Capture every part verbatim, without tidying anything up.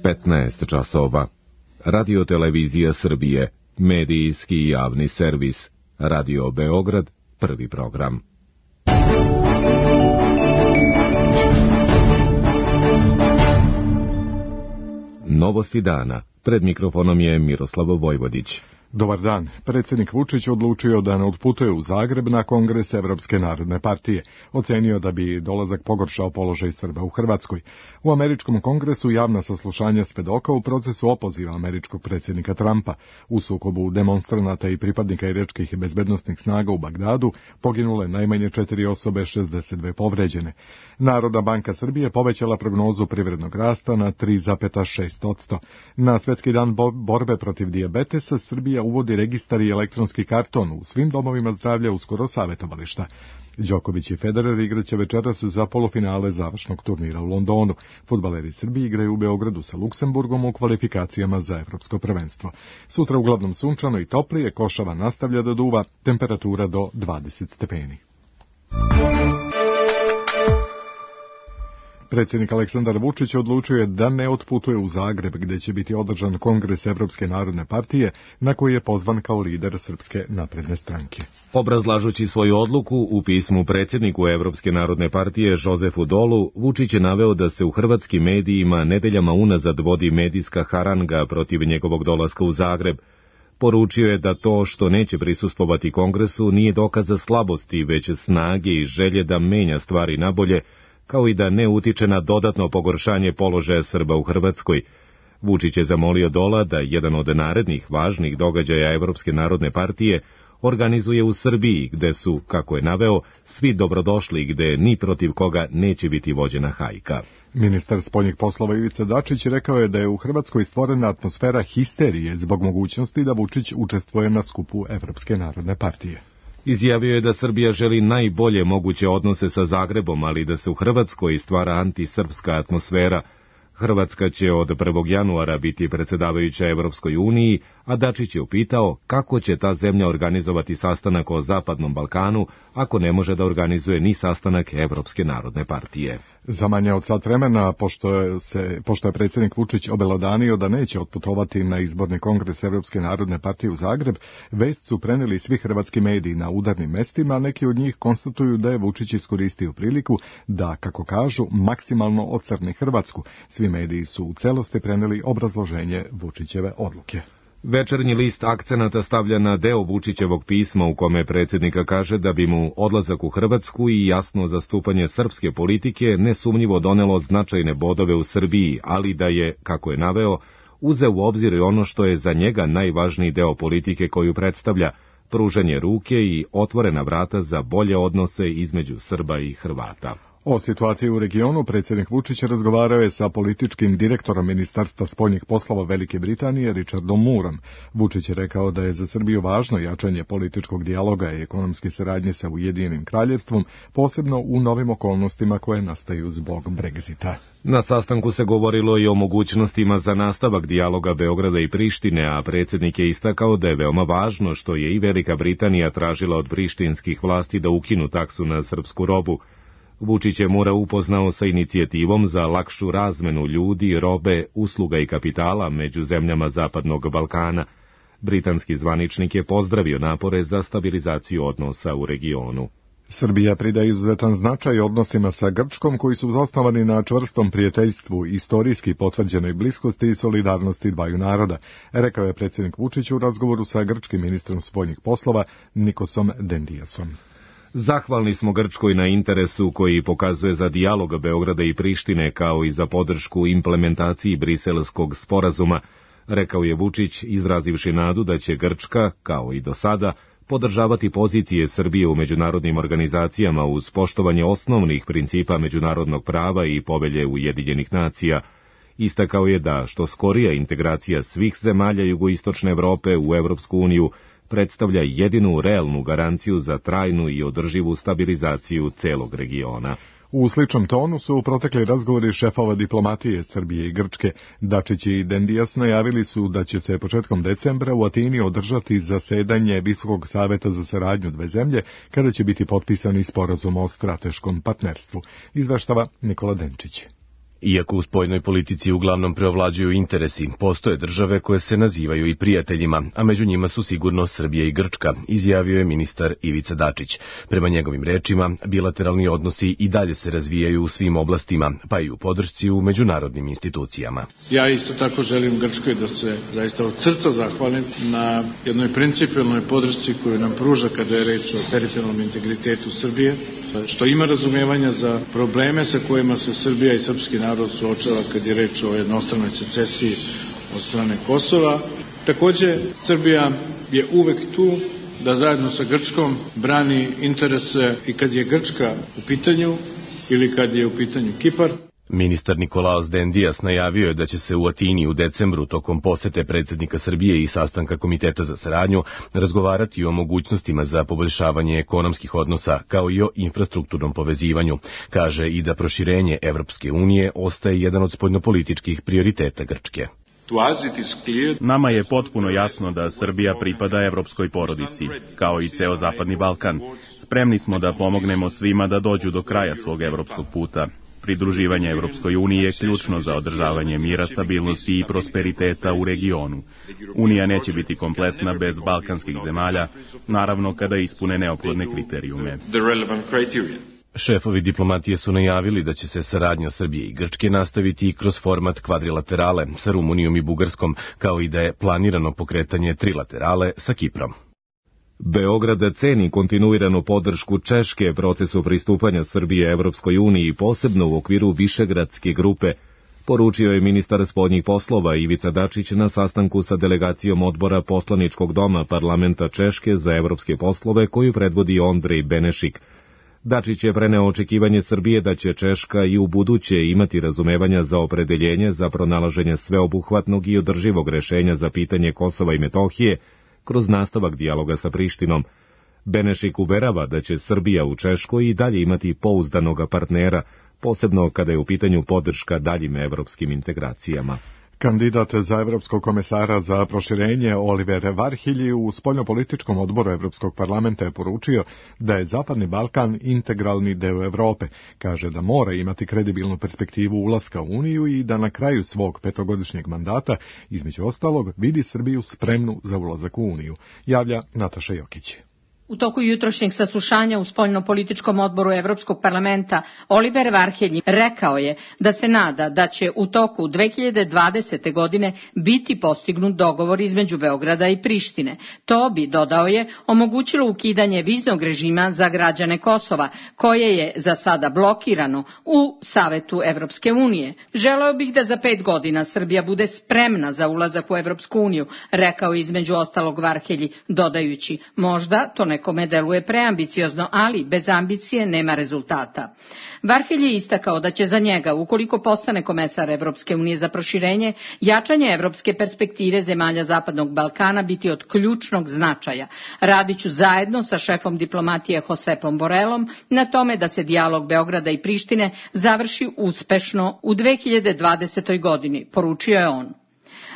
petnaest časova. Radio Televizija Srbije, medijski i javni servis. Radio Beograd, prvi program. Novosti dana. Pred mikrofonom je Miroslav Vojvodić. Dobar dan. Predsjednik Vučić odlučio da ne otputuje u Zagreb na kongres Evropske narodne partije. Ocenio da bi dolazak pogoršao položaj Srba u Hrvatskoj. U američkom kongresu javna saslušanja svedoka u procesu opoziva američkog predsjednika Trumpa. U sukobu demonstranata i pripadnika iračkih bezbednosnih snaga u Bagdadu poginule najmanje četiri osobe, šezdeset dve povređene. Narodna banka Srbije povećala prognozu privrednog rasta na tri zarez šest posto. Na Svetski dan borbe protiv dijabetesa Srbija uvodi registar i elektronski karton u svim domovima zdravlja uskoro savjetovališta. Đoković i Federer igraće večeras za polufinale završnog turnira u Londonu. Fudbaleri Srbije igraju u Beogradu sa Luksemburgom u kvalifikacijama za evropsko prvenstvo. Sutra uglavnom sunčano i toplije, košava nastavlja da duva, temperatura do dvadeset stepeni. Predsjednik Aleksandar Vučić odlučio je da ne otputuje u Zagreb, gdje će biti održan kongres Evropske narodne partije, na koji je pozvan kao lider Srpske napredne stranke. Obrazlažući svoju odluku u pismu predsjedniku Evropske narodne partije Jozefu Dolu, Vučić je naveo da se u hrvatskim medijima nedeljama unazad vodi medijska haranga protiv njegovog dolaska u Zagreb. Poručio je da to što neće prisustvovati kongresu nije dokaz za slabosti, već snage i želje da menja stvari nabolje, kao i da ne utiče na dodatno pogoršanje položaja Srba u Hrvatskoj. Vučić je zamolio Dola da jedan od narednih važnih događaja Evropske narodne partije organizuje u Srbiji, gde su, kako je naveo, svi dobrodošli, gde ni protiv koga neće biti vođena hajka. Ministar spoljnih poslova Ivica Dačić rekao je da je u Hrvatskoj stvorena atmosfera histerije zbog mogućnosti da Vučić učestvuje na skupu Evropske narodne partije. Izjavio je da Srbija želi najbolje moguće odnose sa Zagrebom, ali da se u Hrvatskoj stvara antisrpska atmosfera. Hrvatska će od prvog januara biti predsjedavajuća Evropskoj uniji, a Dačić je upitao kako će ta zemlja organizovati sastanak o Zapadnom Balkanu, ako ne može da organizuje ni sastanak Evropske narodne partije. Za manje od sat vremena, pošto je, se, pošto je predsjednik Vučić obelodanio da neće otputovati na izborni kongres Evropske narodne partije u Zagreb, vest su preneli svi hrvatski mediji na udarnim mestima, a neki od njih konstatuju da je Vučić iskoristio priliku da, kako kažu, maksimalno ocrni Hrvatsku. Svi mediji su u celosti preneli obrazloženje Vučićeve odluke. Večernji list akcenata stavlja na deo Vučićevog pisma u kome predsjednika kaže da bi mu odlazak u Hrvatsku i jasno zastupanje srpske politike nesumnjivo donelo značajne bodove u Srbiji, ali da je, kako je naveo, uzeo u obzir i ono što je za njega najvažniji deo politike koju predstavlja, pružanje ruke i otvorena vrata za bolje odnose između Srba i Hrvata. O situaciji u regionu predsjednik Vučić razgovarao je sa političkim direktorom Ministarstva spoljnih poslova Velike Britanije Richardom Moorom. Vučić je rekao da je za Srbiju važno jačanje političkog dijaloga i ekonomske saradnje sa Ujedinjenim kraljevstvom, posebno u novim okolnostima koje nastaju zbog Brexita. Na sastanku se govorilo i o mogućnostima za nastavak dijaloga Beograda i Prištine, a predsjednik je istakao da je veoma važno što je i Velika Britanija tražila od prištinskih vlasti da ukinu taksu na srpsku robu. Vučić je Moora upoznao sa inicijativom za lakšu razmenu ljudi, robe, usluga i kapitala među zemljama Zapadnog Balkana. Britanski zvaničnik je pozdravio napore za stabilizaciju odnosa u regionu. Srbija pridaje izuzetan značaj odnosima sa Grčkom koji su zasnovani na čvrstom prijateljstvu, istorijski potvrđenoj bliskosti i solidarnosti dvaju naroda, rekao je predsjednik Vučić u razgovoru sa grčkim ministrom spoljnih poslova Nikosom Dendiasom. Zahvalni smo Grčkoj na interesu koji pokazuje za dijalog Beograda i Prištine kao i za podršku implementaciji Briselskog sporazuma, rekao je Vučić, izrazivši nadu da će Grčka, kao i do sada, podržavati pozicije Srbije u međunarodnim organizacijama uz poštovanje osnovnih principa međunarodnog prava i povelje Ujedinjenih nacija. Istakao je da što skorija integracija svih zemalja jugoistočne Evrope u Evropsku uniju predstavlja jedinu realnu garanciju za trajnu i održivu stabilizaciju celog regiona. U sličnom tonu su protekli razgovori šefova diplomatije Srbije i Grčke. Dačić i Dendias najavili su da će se početkom decembra u Atini održati zasedanje Visokog saveta za saradnju dve zemlje, kada će biti potpisani sporazum o strateškom partnerstvu. Izveštava Nikola Denčić. Iako u spoljnoj politici uglavnom preovlađuju interesi, postoje države koje se nazivaju i prijateljima, a među njima su sigurno Srbija i Grčka, izjavio je ministar Ivica Dačić. Prema njegovim rečima, bilateralni odnosi i dalje se razvijaju u svim oblastima, pa i u podršci u međunarodnim institucijama. Ja isto tako želim Grčkoj da se zaista od srca zahvalim na jednoj principijelnoj podršci koju nam pruža kada je reč o teritorijalnom integritetu Srbije, što ima razumevanja za probleme sa kojima se Srbija i srpski narod suočava kad je reč o jednostranoj secesiji od strane Kosova. Takođe, Srbija je uvek tu da zajedno sa Grčkom brani interese i kad je Grčka u pitanju ili kad je u pitanju Kipar. Ministar Nikolaos Dendijas najavio je da će se u Atini u decembru tokom posete predsjednika Srbije i sastanka Komiteta za saradnju razgovarati o mogućnostima za poboljšavanje ekonomskih odnosa kao i o infrastrukturnom povezivanju. Kaže i da proširenje Evropske unije ostaje jedan od spoljnopolitičkih prioriteta Grčke. Nama je potpuno jasno da Srbija pripada evropskoj porodici, kao i ceo Zapadni Balkan. Spremni smo da pomognemo svima da dođu do kraja svog evropskog puta. Pridruživanje Evropskoj uniji je ključno za održavanje mira, stabilnosti i prosperiteta u regionu. Unija neće biti kompletna bez balkanskih zemalja, naravno kada ispune neophodne kriterijume. Šefovi diplomatije su najavili da će se saradnja Srbije i Grčke nastaviti i kroz format kvadrilaterale sa Rumunijom i Bugarskom, kao i da je planirano pokretanje trilaterale sa Kiprom. Beograd ceni kontinuiranu podršku Češke procesu pristupanja Srbije Evropskoj uniji, posebno u okviru Višegradske grupe, poručio je ministar spoljnih poslova Ivica Dačić na sastanku sa delegacijom odbora poslaničkog doma parlamenta Češke za evropske poslove koju predvodi Ondrej Benešik. Dačić je preneo očekivanje Srbije da će Češka i u buduće imati razumevanja za opredeljenje za pronalaženje sveobuhvatnog i održivog rešenja za pitanje Kosova i Metohije, kroz nastavak dijaloga sa Prištinom. Benešik uverava da će Srbija u Češkoj i dalje imati pouzdanoga partnera, posebno kada je u pitanju podrška daljim evropskim integracijama. Kandidat za evropskog komesara za proširenje Oliver Varhelyi u spoljnopolitičkom odboru Evropskog parlamenta je poručio da je Zapadni Balkan integralni deo Evrope. Kaže da mora imati kredibilnu perspektivu ulaska u Uniju i da na kraju svog petogodišnjeg mandata, između ostalog, vidi Srbiju spremnu za ulazak u Uniju, javlja Nataša Jokić. U toku jutrošnjeg saslušanja u spoljnopolitičkom odboru Evropskog parlamenta Oliver Varhelyi rekao je da se nada da će u toku dve hiljade dvadesete. godine biti postignut dogovor između Beograda i Prištine. To bi, dodao je, omogućilo ukidanje viznog režima za građane Kosova, koje je za sada blokirano u Savetu Evropske unije. Želeo bih da za pet godina Srbija bude spremna za ulazak u Evropsku uniju, rekao između ostalog Varhelyi, dodajući, možda to ne nekome deluje preambiciozno, ali bez ambicije nema rezultata. Varhelyi je istakao da će za njega, ukoliko postane komesar Evropske unije za proširenje, jačanje evropske perspektive zemalja Zapadnog Balkana biti od ključnog značaja. Radiću zajedno sa šefom diplomatije Josepom Borelom na tome da se dijalog Beograda i Prištine završi uspešno u dve hiljade dvadesetoj. godini, poručio je on.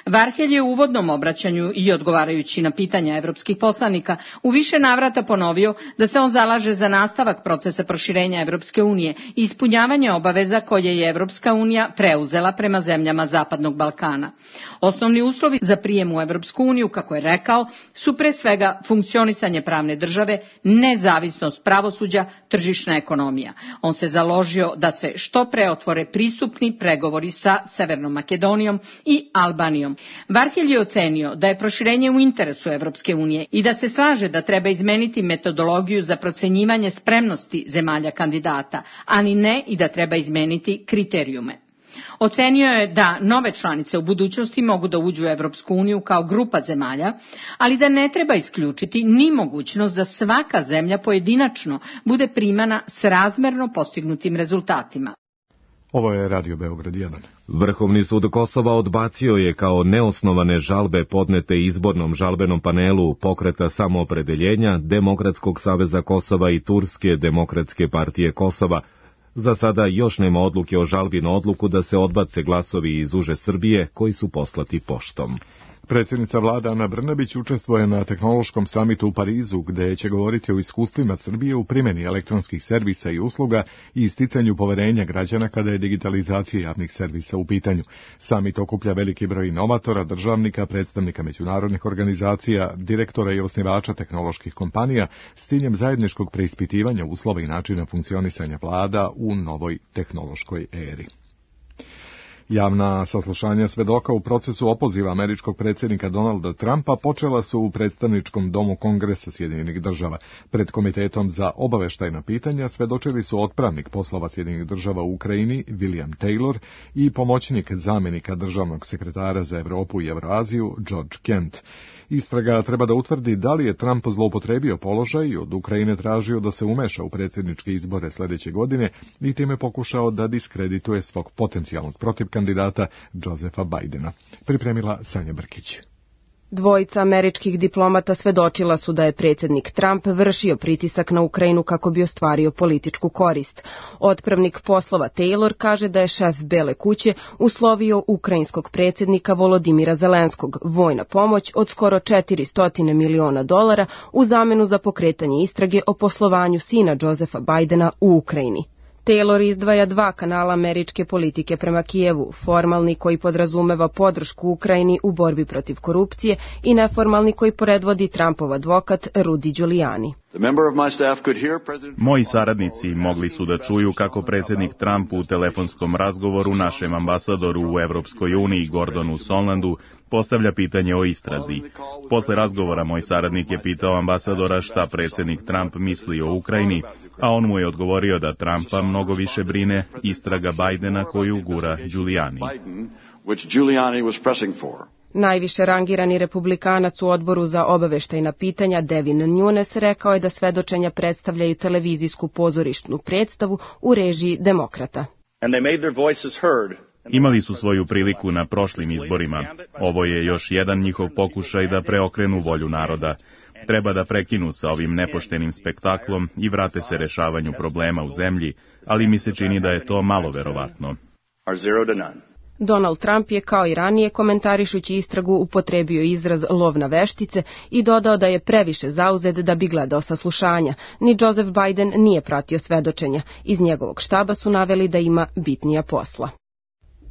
Varhelyi je u uvodnom obraćanju i odgovarajući na pitanja evropskih poslanika u više navrata ponovio da se on zalaže za nastavak procesa proširenja Evropske unije i ispunjavanje obaveza koje je Evropska unija preuzela prema zemljama Zapadnog Balkana. Osnovni uslovi za prijem u Evropsku uniju, kako je rekao, su pre svega funkcionisanje pravne države, nezavisnost pravosuđa, tržišna ekonomija. On se založio da se što pre otvore pristupni pregovori sa Severnom Makedonijom i Albanijom. Varhelyi je ocenio da je proširenje u interesu Evropske unije i da se slaže da treba izmeniti metodologiju za procenjivanje spremnosti zemalja kandidata, ali ne i da treba izmeniti kriterijume. Ocenio je da nove članice u budućnosti mogu da uđu u Evropsku uniju kao grupa zemalja, ali da ne treba isključiti ni mogućnost da svaka zemlja pojedinačno bude primana s razmerno postignutim rezultatima. Ovo je Radio Beograd jedan. Vrhovni sud Kosova odbacio je kao neosnovane žalbe podnete izbornom žalbenom panelu Pokreta samoopredeljenja, Demokratskog saveza Kosova i Turske demokratske partije Kosova. Za sada još nema odluke o žalbi na odluku da se odbace glasovi iz uže Srbije koji su poslati poštom. Predsjednica vlade Ana Brnabić učestvuje na tehnološkom samitu u Parizu, gde će govoriti o iskustvima Srbije u primjeni elektronskih servisa i usluga i isticanju poverenja građana kada je digitalizacija javnih servisa u pitanju. Samit okuplja veliki broj inovatora, državnika, predstavnika međunarodnih organizacija, direktora i osnivača tehnoloških kompanija s ciljem zajedničkog preispitivanja uslova i načina funkcionisanja vlada u novoj tehnološkoj eri. Javna saslušanja svedoka u procesu opoziva američkog predsjednika Donalda Trumpa počela su u predstavničkom domu Kongresa Sjedinjenih država. Pred Komitetom za obaveštajna pitanja svedočili su otpravnik poslova Sjedinjenih država u Ukrajini William Taylor i pomoćnik zamjenika državnog sekretara za Europu i Evroaziju George Kent. Istraga treba da utvrdi da li je Trump zloupotrebio položaj i od Ukrajine tražio da se umeša u predsjedničke izbore sljedeće godine i time pokušao da diskredituje svog potencijalnog protivkandidata Josepha Bidena. Pripremila Sanja Brkić. Dvojica američkih diplomata svedočila su da je predsjednik Trump vršio pritisak na Ukrajinu kako bi ostvario političku korist. Otpravnik poslova Taylor kaže da je šef Bele kuće uslovio ukrajinskog predsjednika Volodimira Zelenskog vojna pomoć od skoro četiristo miliona dolara u zamenu za pokretanje istrage o poslovanju sina Josepha Bidena u Ukrajini. Taylor izdvaja dva kanala američke politike prema Kijevu, formalni koji podrazumeva podršku Ukrajini u borbi protiv korupcije i neformalni koji predvodi Trumpov advokat Rudy Giuliani. Moji saradnici mogli su da čuju kako predsjednik Trump u telefonskom razgovoru našem ambasadoru u Evropskoj uniji Gordonu Sondlandu postavlja pitanje o istrazi. Posle razgovora moj saradnik je pitao ambasadora šta predsjednik Trump misli o Ukrajini, a on mu je odgovorio da Trumpa mnogo više brine istraga Bidena koju gura Giuliani. Najviše rangirani republikanac u odboru za obaveštajna pitanja Devin Nunes rekao je da svedočenja predstavljaju televizijsku pozorišnu predstavu u režiji demokrata. Imali su svoju priliku na prošlim izborima. Ovo je još jedan njihov pokušaj da preokrenu volju naroda. Treba da prekinu sa ovim nepoštenim spektaklom i vrate se rešavanju problema u zemlji, ali mi se čini da je to malo verovatno. Donald Trump je kao i ranije komentarišući istragu upotrebio izraz lov na veštice i dodao da je previše zauzet da bi gledao saslušanja. Ni Joseph Biden nije pratio svedočenja. Iz njegovog štaba su naveli da ima bitnija posla.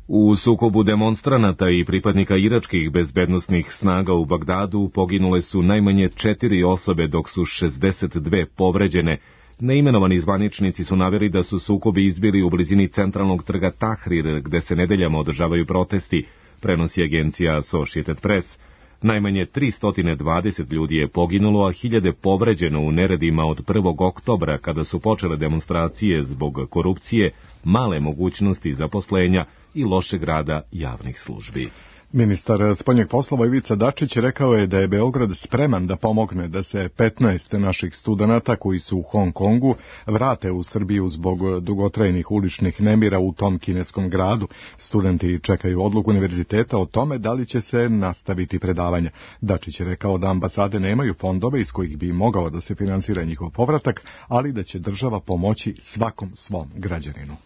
U sukobu demonstranata i pripadnika iračkih bezbednosnih snaga u Bagdadu poginule su najmanje četiri osobe dok su šezdeset dve povređene. Neimenovani zvaničnici su naveli da su sukobi izbili u blizini centralnog trga Tahrir, gde se nedeljama održavaju protesti, prenosi agencija Associated Press. Najmanje tristo dvadeset ljudi je poginulo, a hiljade povređeno u neredima od prvog oktobra, kada su počele demonstracije zbog korupcije, male mogućnosti zaposlenja i lošeg rada javnih službi. Ministar spoljnih poslova Ivica Dačić rekao je da je Beograd spreman da pomogne da se petnaest naših studenata koji su u Hong Kongu vrate u Srbiju zbog dugotrajnih uličnih nemira u tom kineskom gradu. Studenti čekaju odluku univerziteta o tome da li će se nastaviti predavanja. Dačić je rekao da ambasade nemaju fondove iz kojih bi mogao da se finansira njihov povratak, ali da će država pomoći svakom svom građaninu.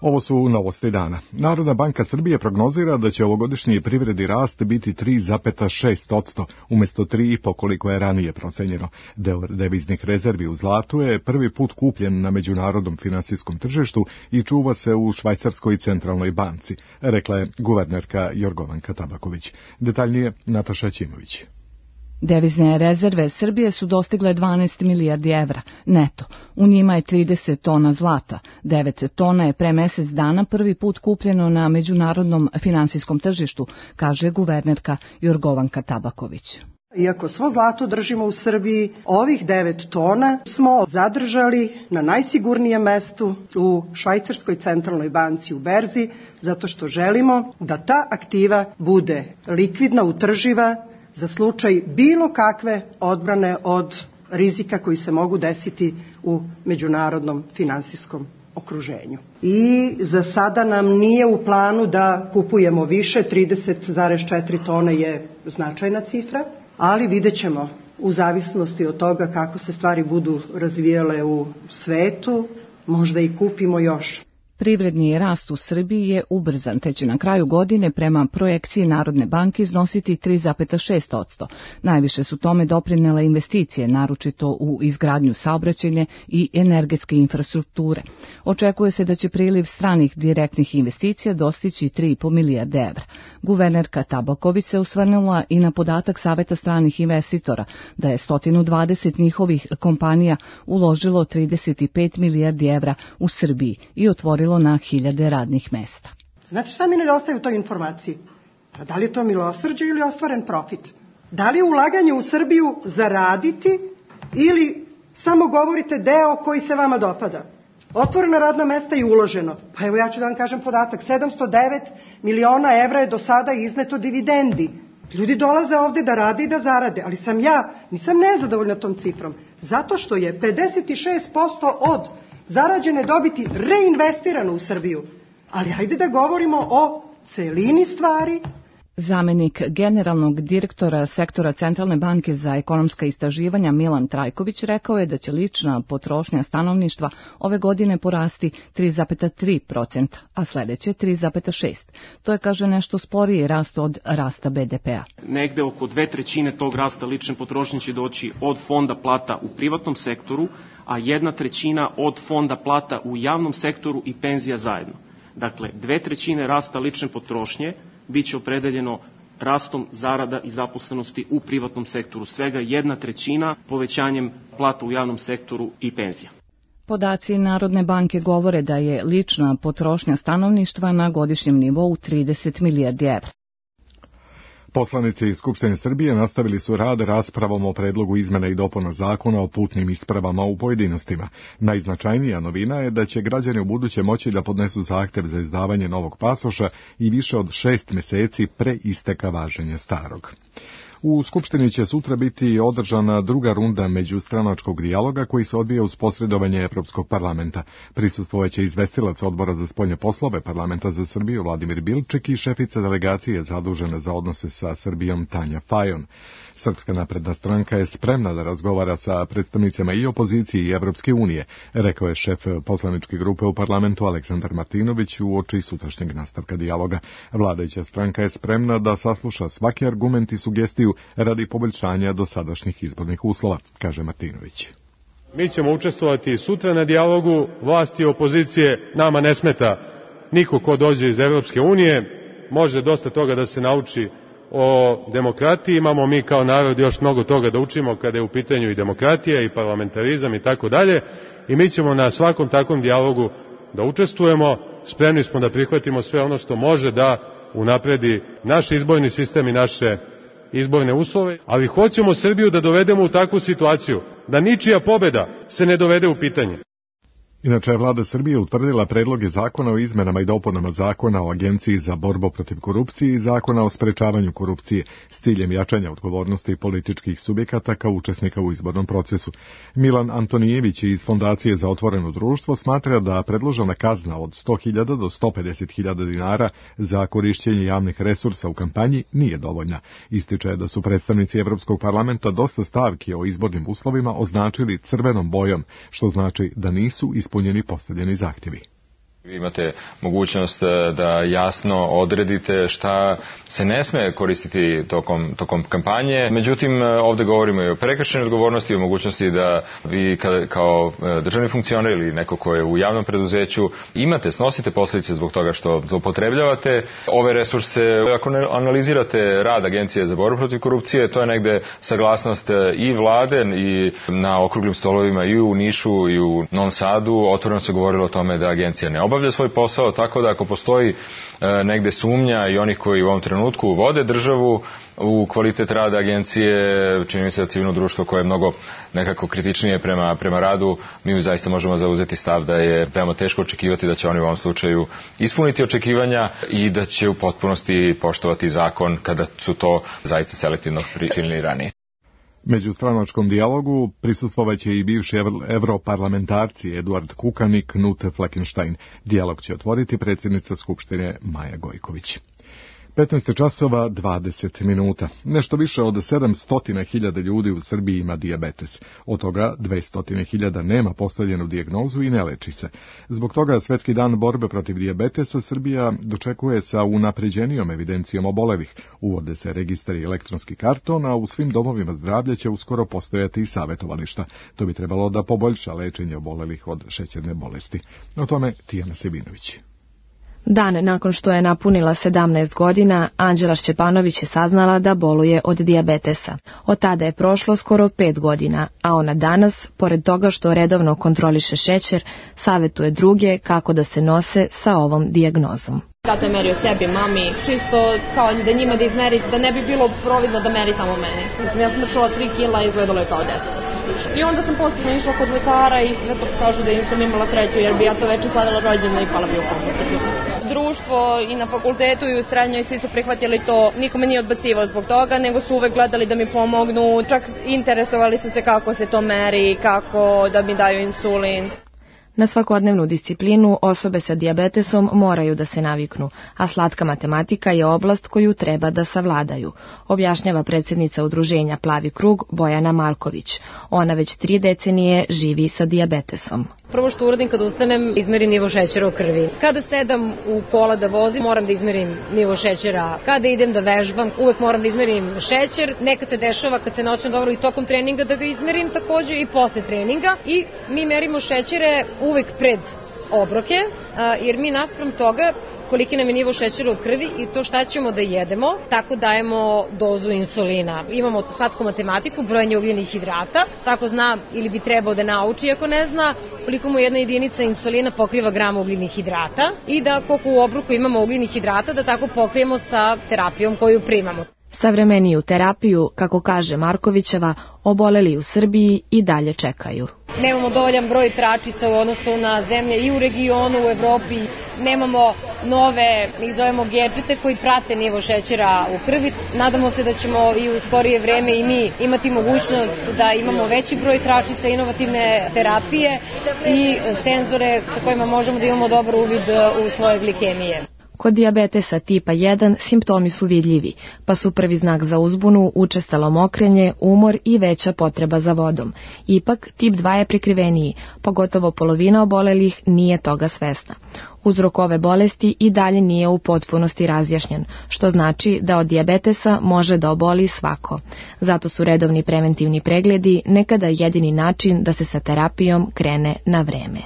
Ovo su novosti dana. Narodna banka Srbije prognozira da će ovogodišnji privredni rast biti tri zarez šest posto, umjesto tri zarez pet koliko je ranije procenjeno. Deo deviznih rezervi u zlatu je prvi put kupljen na međunarodnom finansijskom tržištu i čuva se u Švajcarskoj centralnoj banci, rekla je guvernerka Jorgovanka Tabaković. Detaljnije Nataša Ćimović. Devizne rezerve Srbije su dostigle dvanaest milijardi evra neto. U njima je trideset tona zlata. devet tona je pre mesec dana prvi put kupljeno na međunarodnom finansijskom tržištu, kaže guvernerka Jorgovanka Tabaković. Iako svo zlato držimo u Srbiji, ovih devet tona smo zadržali na najsigurnijem mestu u Švajcarskoj centralnoj banci u berzi, zato što želimo da ta aktiva bude likvidna, utrživa, za slučaj bilo kakve odbrane od rizika koji se mogu desiti u međunarodnom finansijskom okruženju. I za sada nam nije u planu da kupujemo više, trideset zarez četiri tone je značajna cifra, ali vidjet ćemo u zavisnosti od toga kako se stvari budu razvijale u svetu, možda i kupimo još. Privredni rast u Srbiji je ubrzan, te će na kraju godine prema projekciji Narodne banke iznositi tri zarez šest posto. Najviše su tome doprinele investicije, naročito u izgradnju saobraćajne i energetske infrastrukture. Očekuje se da će priliv stranih direktnih investicija dostići tri zarez pet milijarde evra. Guvernerka Tabaković se osvrnula i na podatak Saveta stranih investitora da je sto dvadeset njihovih kompanija uložilo trideset pet milijardi evra u Srbiji i otvorilo na hiljade radnih mesta. Znate šta mi nedostaje u toj informaciji? Pa da li je to milosrđe ili ostvaren profit? Da li je ulaganje u Srbiju zaraditi ili samo govorite deo koji se vama dopada? Otvorena radna mesta i uloženo. Pa evo ja ću da vam kažem podatak. sedamsto devet miliona evra je do sada izneto dividendi. Ljudi dolaze ovde da rade i da zarade, ali sam ja, nisam nezadovoljna tom cifrom. Zato što je pedeset šest posto od zarađene dobiti reinvestirano u Srbiju. Ali hajde da govorimo o celini stvari. Zamenik generalnog direktora sektora Centralne banke za ekonomska istraživanja Milan Trajković rekao je da će lična potrošnja stanovništva ove godine porasti tri zarez tri posto, a sledeće tri zarez šest posto. To je, kaže, nešto sporiji rast od rasta be de pea. Negde oko dve trećine tog rasta lične potrošnje će doći od fonda plata u privatnom sektoru, a jedna trećina od fonda plata u javnom sektoru i penzija zajedno. Dakle, dve trećine rasta lične potrošnje biće opredeljeno rastom zarada i zaposlenosti u privatnom sektoru, svega jedna trećina povećanjem plata u javnom sektoru i penzija. Podaci Narodne banke govore da je lična potrošnja stanovništva na godišnjem nivou trideset milijardi evra. Poslanici iz Skupštine Srbije nastavili su rad raspravom o predlogu izmena i dopuna zakona o putnim ispravama u pojedinostima. Najznačajnija novina je da će građani ubuduće moći da podnesu zahtev za izdavanje novog pasoša i više od šest meseci pre isteka važenja starog. U Skupštini će sutra biti održana druga runda međustranačkog dijaloga koji se odvija uz posredovanje Evropskog parlamenta. Prisustvovaće izvestilac Odbora za spoljne poslove Parlamenta za Srbiju Vladimir Bilčik i šefica delegacije zadužena za odnose sa Srbijom Tanja Fajon. Srpska napredna stranka je spremna da razgovara sa predstavnicama i opozicije i Evropske unije, rekao je šef poslaničke grupe u parlamentu Aleksandar Martinović uoči sutrašnjeg nastavka dijaloga. Vladajuća stranka je spremna da sasluša svaki argument i sugestiju radi poboljšanja dosadašnjih izbornih uslova, kaže Martinović. Mi ćemo učestvovati sutra na dijalogu vlasti i opozicije, nama ne smeta niko ko dođe iz Evropske unije, može dosta toga da se nauči o demokratiji, imamo mi kao narod još mnogo toga da učimo kada je u pitanju i demokratija i parlamentarizam i tako dalje, i mi ćemo na svakom takvom dijalogu da učestvujemo, spremni smo da prihvatimo sve ono što može da unapredi naš izborni sistem i naše izborne uslove, ali hoćemo Srbiju da dovedemo u takvu situaciju da ničija pobeda se ne dovede u pitanje. Inače je vlada Srbije utvrdila predloge zakona o izmenama i dopunama zakona o Agenciji za borbu protiv korupcije i zakona o sprečavanju korupcije s ciljem jačanja odgovornosti političkih subjekata kao učesnika u izbornom procesu. Milan Antonijević iz Fondacije za otvoreno društvo smatra da predložena kazna od sto hiljada do sto pedeset hiljada dinara za korišćenje javnih resursa u kampanji nije dovoljna. Ističe da su predstavnici Evropskog parlamenta dosta stavki o izbornim uslovima označili crvenom bojom, što znači da nisu ispunjeni postavljeni zahtjevi. Vi imate mogućnost da jasno odredite šta se ne sme koristiti tokom, tokom kampanje. Međutim, ovde govorimo i o prekršajnoj odgovornosti, o mogućnosti da vi kao državni funkcioner ili neko ko je u javnom preduzeću imate, snosite posljedice zbog toga što zloupotrebljavate ove resurse. Ako ne analizirate rad Agencije za borbu protiv korupcije, to je negde saglasnost i vlade i na okruglim stolovima i u Nišu i u Novom Sadu. Otvoreno se govorilo o tome da agencija ne obavlja svoj posao, tako da ako postoji e, negde sumnja i onih koji u ovom trenutku vode državu u kvalitet rada agencije, čini mi se da civilno društvo koje je mnogo nekako kritičnije prema, prema radu, mi zaista možemo zauzeti stav da je veoma teško očekivati da će oni u ovom slučaju ispuniti očekivanja i da će u potpunosti poštovati zakon kada su to zaista selektivno pričinili ranije. Međustranačkom dijalogu prisustvovaće i bivši evroparlamentarci Eduard Kukan i Knut Fleckenstein. Dijalog će otvoriti predsjednica Skupštine Maja Gojković. petnaest časova dvadeset minuta. Nešto više od sedamsto hiljada ljudi u Srbiji ima dijabetes. Od toga dvesta hiljada nema postavljenu dijagnozu i ne leči se. Zbog toga Svetski dan borbe protiv dijabetesa Srbija dočekuje sa unapređenijom evidencijom obolelih. Uvode se registri elektronski karton, a u svim domovima zdravlja će uskoro postojati i savjetovališta. To bi trebalo da poboljša lečenje obolelih od šećerne bolesti. O tome Tijana Sebinović. Dan nakon što je napunila sedamnaest godina, Anđela Šćepanović je saznala da boluje od dijabetesa. Od tada je prošlo skoro pet godina, a ona danas, pored toga što redovno kontroliše šećer, savjetuje druge kako da se nose sa ovom dijagnozom. Tata je merio sebi, mami, čisto kao da njima da izmeri, da ne bi bilo providno da meri samo meni. Mislim, ja sam vršila tri kila i izgledalo je kao deset. I onda sam posebno išla kod lekara i sve to kažu da nisam imala sreću, jer bi ja to večer sladila rođena i pala bi u komu. Društvo i na fakultetu i u srednjoj svi su prihvatili to, nikome nije odbacivao zbog toga, nego su uvek gledali da mi pomognu, čak interesovali su se kako se to meri, kako da mi daju insulin. Na svakodnevnu disciplinu osobe sa dijabetesom moraju da se naviknu, a slatka matematika je oblast koju treba da savladaju, objašnjava predsjednica udruženja Plavi krug Bojana Marković. Ona već tri decenije živi sa dijabetesom. Prvo što uradim kad ustanem, izmerim nivo šećera u krvi. Kada sedam u kola da vozim, moram da izmerim nivo šećera. Kada idem da vežbam, uvek moram da izmerim šećer. Nekad se dešava kad se noćem dobro i tokom treninga da ga izmerim takođe i posle treninga. I mi merimo šećere uvek pred obroke, jer mi naspram toga koliki nam je nivo šećera u krvi i to šta ćemo da jedemo, tako dajemo dozu insulina. Imamo slatku matematiku, brojanje ugljenih hidrata, svako zna ili bi trebao da nauči ako ne zna koliko mu jedna jedinica insulina pokriva gram ugljenih hidrata i da koliko u obroku imamo ugljenih hidrata da tako pokrijemo sa terapijom koju primamo. Savremeniju terapiju, kako kaže Markovićeva, oboleli u Srbiji i dalje čekaju. Nemamo dovoljan broj tračica u odnosu na zemlje i u regionu, u Evropi. Nemamo nove, ih zovemo gedžete koji prate nivo šećera u krvi. Nadamo se da ćemo i u skorije vreme i mi imati mogućnost da imamo veći broj tračica, inovativne terapije i senzore sa kojima možemo da imamo dobar uvid u svoje glikemije. Kod dijabetesa tipa jedan simptomi su vidljivi, pa su prvi znak za uzbunu učestalo mokrenje, umor i veća potreba za vodom. Ipak, tip dva je prikriveniji, pogotovo polovina obolelih nije toga svesna. Uzrok ove bolesti i dalje nije u potpunosti razjašnjen, što znači da od dijabetesa može da oboli svako. Zato su redovni preventivni pregledi nekada jedini način da se sa terapijom krene na vreme.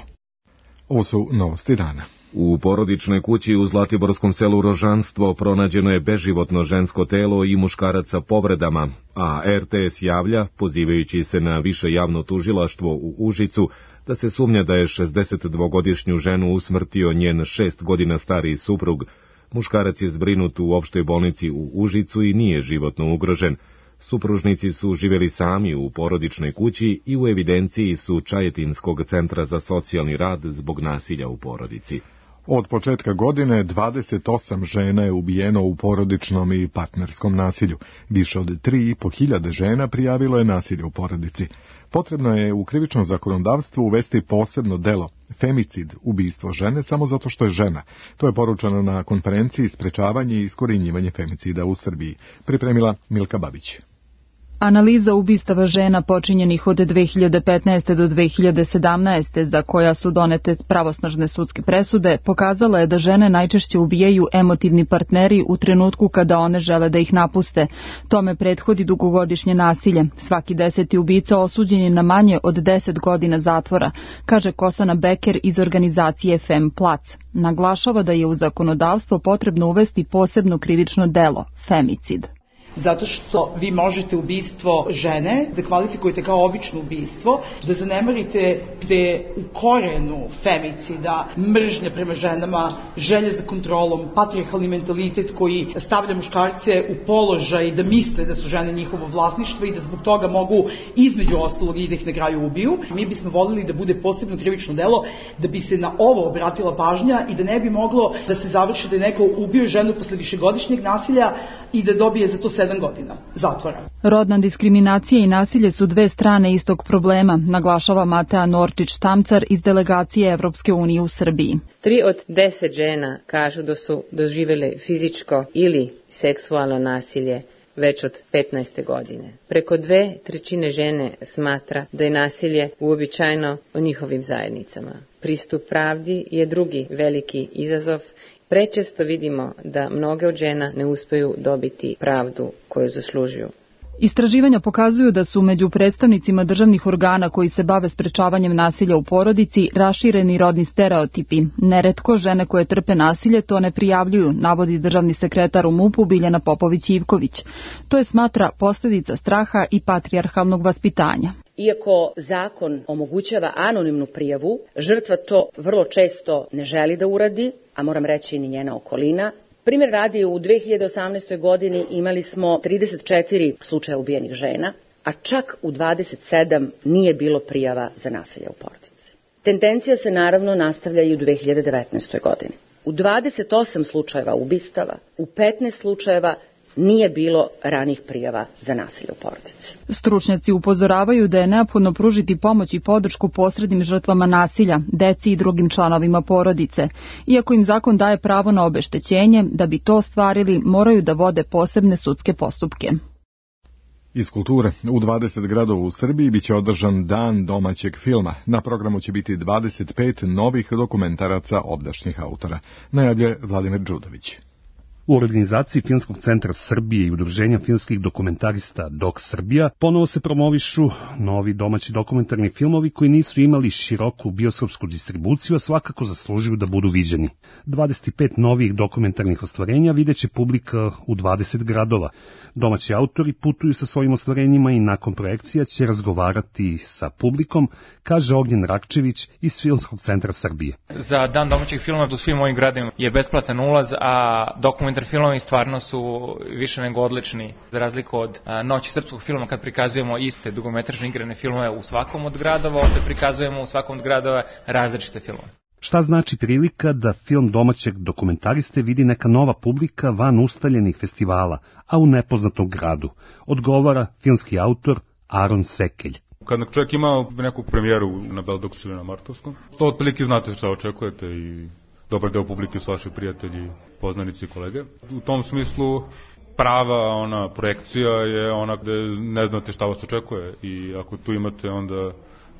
Ovo su novosti dana. U porodičnoj kući u Zlatiborskom selu Rožanstvo pronađeno je beživotno žensko telo i muškarac sa povredama, a er te es javlja, pozivajući se na više javno tužilaštvo u Užicu, da se sumnja da je šezdesetdvogodišnju ženu usmrtio njen šest godina stariji suprug. Muškarac je zbrinut u opštoj bolnici u Užicu i nije životno ugrožen. Supružnici su živjeli sami u porodičnoj kući i u evidenciji su Čajetinskog centra za socijalni rad zbog nasilja u porodici. Od početka godine dvadeset osam žena je ubijeno u porodičnom i partnerskom nasilju. Više od tri i po hiljade žena prijavilo je nasilje u porodici. Potrebno je u krivičnom zakonodavstvu uvesti posebno delo, femicid, ubistvo žene samo zato što je žena. To je poručeno na konferenciji Sprečavanje i iskorjenjivanje femicida u Srbiji. Pripremila Milka Babić. Analiza ubistava žena počinjenih od dve hiljade petnaeste. do dve hiljade sedamnaeste. za koja su donete pravosnažne sudske presude, pokazala je da žene najčešće ubijaju emotivni partneri u trenutku kada one žele da ih napuste. Tome prethodi dugogodišnje nasilje. Svaki deseti ubica osuđen je na manje od deset godina zatvora, kaže Kosana Beker iz organizacije Fem Plac. Naglašava da je u zakonodavstvo potrebno uvesti posebno krivično delo, femicid. Zato što vi možete ubistvo žene da kvalifikujete kao obično ubistvo, da zanemarite gde u korenu femicida, mržnje prema ženama, želje za kontrolom, patrijarhalni mentalitet koji stavlja muškarce u položaj da misle da su žene njihovo vlasništvo i da zbog toga mogu između ostalog i da ih na kraju ubiju. Mi bismo voljeli da bude posebno krivično delo, da bi se na ovo obratila pažnja i da ne bi moglo da se završi da je neko ubio ženu posle višegodišnjeg nasilja i da dobije za to sedam godina zatvora. Rodna diskriminacija i nasilje su dve strane istog problema, naglašava Matea Norčić-Tamcar iz delegacije Evropske unije u Srbiji. Tri od deset žena kažu da su doživjele fizičko ili seksualno nasilje već od petnaeste godine. Preko dve trećine žene smatra da je nasilje uobičajeno u njihovim zajednicama. Pristup pravdi je drugi veliki izazov. Prečesto vidimo da mnoge od žena ne uspeju dobiti pravdu koju zaslužuju. Istraživanja pokazuju da su među predstavnicima državnih organa koji se bave sprečavanjem nasilja u porodici rašireni rodni stereotipi. Neretko žene koje trpe nasilje to ne prijavljuju, navodi državni sekretar u MUP-u Biljana Popović-Ivković. To je, smatra, posljedica straha i patrijarhalnog vaspitanja. Iako zakon omogućava anonimnu prijavu, žrtva to vrlo često ne želi da uradi, a moram reći ni njena okolina. Primjer radi, u dve hiljade osamnaestoj. godini imali smo trideset četiri slučaja ubijenih žena, a čak u dvadeset sedam nije bilo prijava za nasilje u porodici. Tendencija se naravno nastavlja i u dve hiljade devetnaestoj. godini. U dvadeset osam slučajeva ubistava, u petnaest slučajeva nije bilo ranih prijava za nasilje u porodici. Stručnjaci upozoravaju da je neophodno pružiti pomoć i podršku posrednim žrtvama nasilja, deci i drugim članovima porodice. Iako im zakon daje pravo na obeštećenje, da bi to ostvarili, moraju da vode posebne sudske postupke. Iz kulture, u dvadeset gradova u Srbiji biće održan Dan domaćeg filma. Na programu će biti dvadeset pet novih dokumentaraca obdašnjih autora. Najavlje Vladimir Đudović. U organizaciji Filmskog centra Srbije i udruženja filmskih dokumentarista Dok Srbija ponovo se promovišu novi domaći dokumentarni filmovi koji nisu imali široku bioskopsku distribuciju, a svakako zaslužuju da budu viđeni. dvadeset pet novih dokumentarnih ostvarenja videće publika u dvadeset gradova. Domaći autori putuju sa svojim ostvarenjima i nakon projekcija će razgovarati sa publikom, kaže Ognjen Rakčević iz Filmskog centra Srbije. Za Dan domaćeg filma u svim ovim gradima je besplatan ulaz, a dokumentarni filmovi stvarno su više nego odlični. Za razliku od a, Noći srpskog filma, kad prikazujemo iste dugometražne igrane filmove u svakom od gradova, ovde prikazujemo u svakom od gradova različite filmove. Šta znači prilika da film domaćeg dokumentariste vidi neka nova publika van ustaljenih festivala, a u nepoznatom gradu? Odgovara filmski autor Aron Sekelj. Kad čovjek ima neku premijeru na Beldoksu ili na Martovskom, to otprilike znate šta očekujete i dobar deo publike su vaši prijatelji, poznanici i kolege. U tom smislu prava ona projekcija je ona gde ne znate šta vas očekuje i ako tu imate onda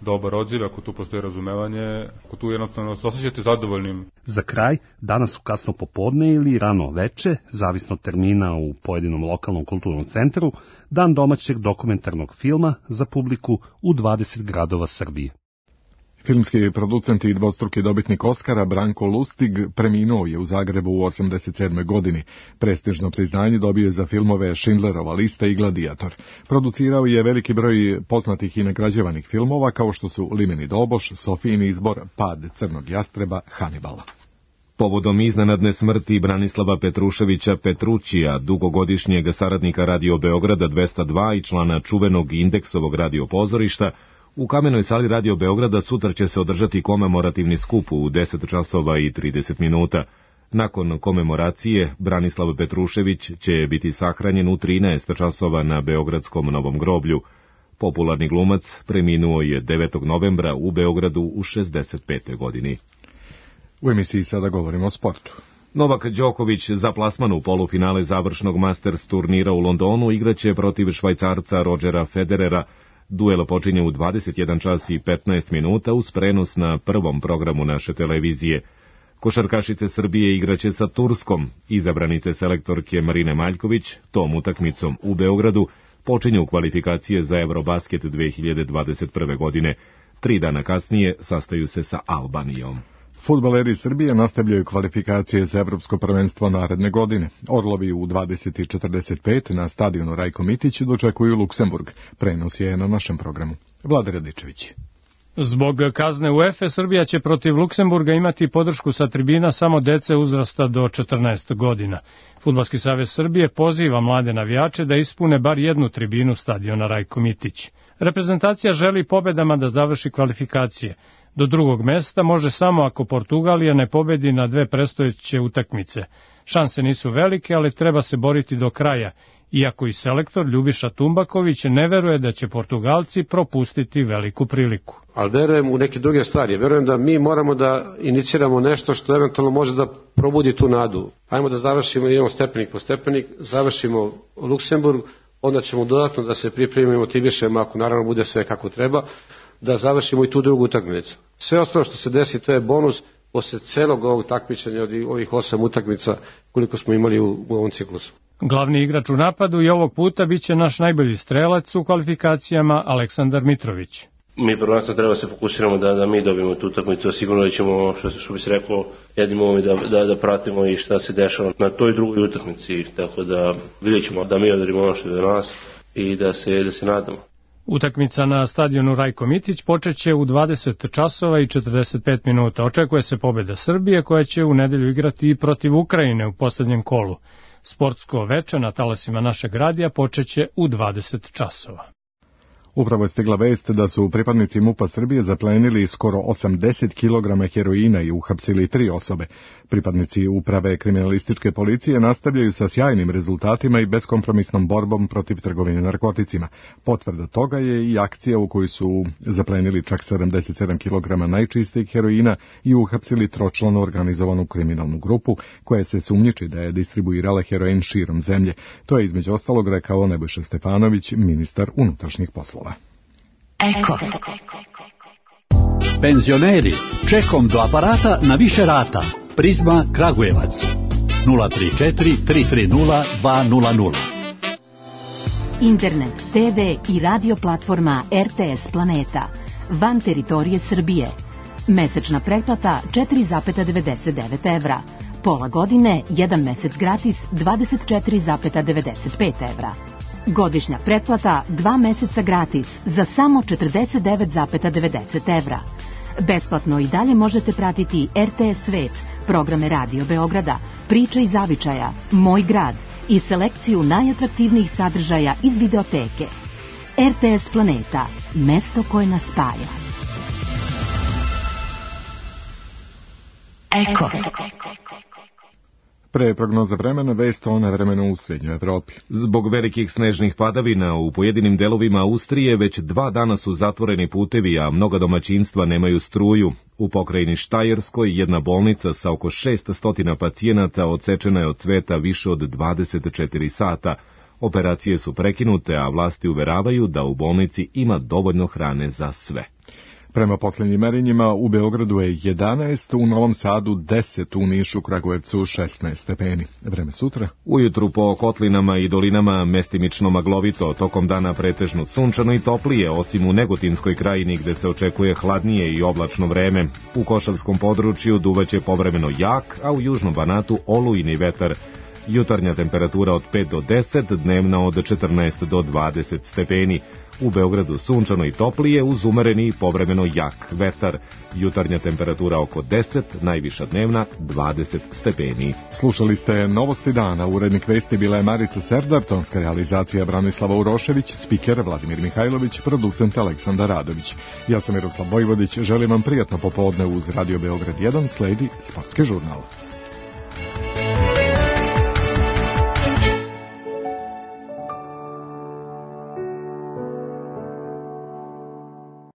dobar odziv, ako tu postoji razumevanje, ako tu jednostavno se osjećate zadovoljnim. Za kraj, danas u kasno popodne ili rano veče, zavisno od termina u pojedinom lokalnom kulturnom centru, Dan domaćeg dokumentarnog filma za publiku u dvadeset gradova Srbije. Filmski producent i dvostruki dobitnik Oskara Branko Lustig preminuo je u Zagrebu u osamdeset sedmoj. godini. Prestižno priznanje dobio je za filmove Schindlerova lista i Gladiator. Producirao je veliki broj poznatih i nagrađivanih filmova kao što su Limeni doboš, Sofijin izbor, Pad crnog jastreba, Hanibala. Povodom iznenadne smrti Branislava Petruševića Petrućija, dugogodišnjeg saradnika Radio Beograda dvesta dva i člana čuvenog Indeksovog radio pozorišta, u Kamenoj sali Radio Beograda sutra će se održati komemorativni skup u deset časova i trideset minuta. Nakon komemoracije, Branislav Petrušević će biti sahranjen u trinaest časova na Beogradskom Novom groblju. Popularni glumac preminuo je devetog novembra u Beogradu u šezdeset petoj. godini. U emisiji sada govorimo o sportu. Novak Đoković za plasman u polufinale završnog Masters turnira u Londonu igraće protiv Švajcarca Rodgera Federera. Duel počinje u dvadeset jedan čas i petnaest minuta uz prenos na prvom programu naše televizije. Košarkašice Srbije igraće sa Turskom. Izabranice selektorke Marine Maljković tom utakmicom u Beogradu počinju kvalifikacije za Eurobasket dve hiljade dvadeset prve. godine. Tri dana kasnije sastaju se sa Albanijom. Fudbaleri Srbije nastavljaju kvalifikacije za Evropsko prvenstvo naredne godine. Orlovi u dvadeset četrdeset pet na stadionu Rajko Mitić dočekuju Luksemburg. Prenos je na našem programu. Vlada Radičević. Zbog kazne UEFA Srbija će protiv Luksemburga imati podršku sa tribina samo dece uzrasta do četrnaest godina. Fudbalski savez Srbije poziva mlade navijače da ispune bar jednu tribinu stadiona Rajko Mitić. Reprezentacija želi pobedama da završi kvalifikacije. Do drugog mesta može samo ako Portugalija ne pobedi na dve predstojeće utakmice. Šanse nisu velike, ali treba se boriti do kraja, iako i selektor Ljubiša Tumbaković ne veruje da će Portugalci propustiti veliku priliku. Ali verujem u neke druge stvari. Verujem da mi moramo da iniciramo nešto što eventualno može da probudi tu nadu. Ajmo da završimo, idemo stepenik po stepenik, završimo Luksemburg, onda ćemo dodatno da se pripremimo i motivišemo, ako naravno bude sve kako treba, da završimo i tu drugu utakmicu. Sve ostalo što se desi, to je bonus posle celog ovog takmičenja od ovih osam utakmica koliko smo imali u, u ovom ciklusu. Glavni igrač u napadu i ovog puta biće naš najbolji strelac u kvalifikacijama Aleksandar Mitrović. Mi prvenstveno treba se fokusiramo da, da mi dobijemo tu utakmicu, sigurno da ćemo, što, što bi se rekao, jednim ovom da, da, da pratimo i šta se dešava na toj drugoj utakmici, tako da vidjet ćemo da mi odradimo ono što je do nas i da se, da se nadamo. Utakmica na stadionu Rajko Mitić počeće u dvadeset časova i četrdeset pet minuta. Očekuje se pobeda Srbije koja će u nedelju igrati i protiv Ukrajine u poslednjem kolu. Sportsko veče na talasima našeg radija počeće u dvadeset časova. Upravo je stigla vest da su pripadnici MUP-a Srbije zaplenili skoro osamdeset kilograma heroina i uhapsili tri osobe. Pripadnici uprave kriminalističke policije nastavljaju sa sjajnim rezultatima i beskompromisnom borbom protiv trgovine narkoticima. Potvrda toga je i akcija u kojoj su zaplenili čak sedamdeset sedam kilograma najčistijeg heroina i uhapsili tročlanu organizovanu kriminalnu grupu koja se sumnjiči da je distribuirala heroin širom zemlje. To je između ostalog rekao Nebojša Stefanović, ministar unutrašnjih poslova. Eko. Penzioneri, čekom do aparata na više rata. Prizma Kragujevac. nula tri četiri tri tri nula dva nula nula. Internet, te ve i radio platforma er te es Planeta. Van teritorije Srbije. Mesečna pretplata četiri zarez devedeset devet evra. Pola godine, jedan mesec gratis dvadeset četiri zarez devedeset pet evra. Godišnja pretplata dva meseca gratis za samo četrdeset devet zarez devedeset evra. Besplatno i dalje možete pratiti er te es Svet, programe Radio Beograda, Priča i zavičaja, Moj grad i selekciju najatraktivnijih sadržaja iz videoteke. er te es Planeta, mesto koje nas spaja. Eko. Pre prognoza vremena, vest o nevremenu u Srednjoj Evropi. Zbog velikih snežnih padavina u pojedinim delovima Austrije već dva dana su zatvoreni putevi, a mnoga domaćinstva nemaju struju. U pokrajini Štajerskoj jedna bolnica sa oko šesnaest pacijenata odsečena je od cveta više od dvadeset četiri sata. Operacije su prekinute, a vlasti uveravaju da u bolnici ima dovoljno hrane za sve. Prema posljednjim merenjima u Beogradu je jedanaest, u Novom Sadu deset, u Nišu, Kragujevcu šesnaest stepeni. Vreme sutra? Ujutru po kotlinama i dolinama mestimično maglovito, tokom dana pretežno sunčano i toplije, osim u Negotinskoj krajini gde se očekuje hladnije i oblačno vreme. U Košavskom području duvaće povremeno jak, a u Južnom Banatu olujni vetar. Jutarnja temperatura od pet do deset, dnevna od četrnaest do dvadeset stepeni. U Beogradu sunčano i toplije uz umereni i povremeno jak vetar. Jutarnja temperatura oko deset, najviša dnevna dvadeset stepeni. Slušali ste Novosti dana, urednik vesti bila je Marica Serdar, tonska realizacija Branislava Urošević, spiker Vladimir Mihajlović, producent Aleksandar Radović. Ja sam Miroslav Vojvodić, želim vam prijatno popodne uz Radio Beograd jedan, sledi Sportski žurnal.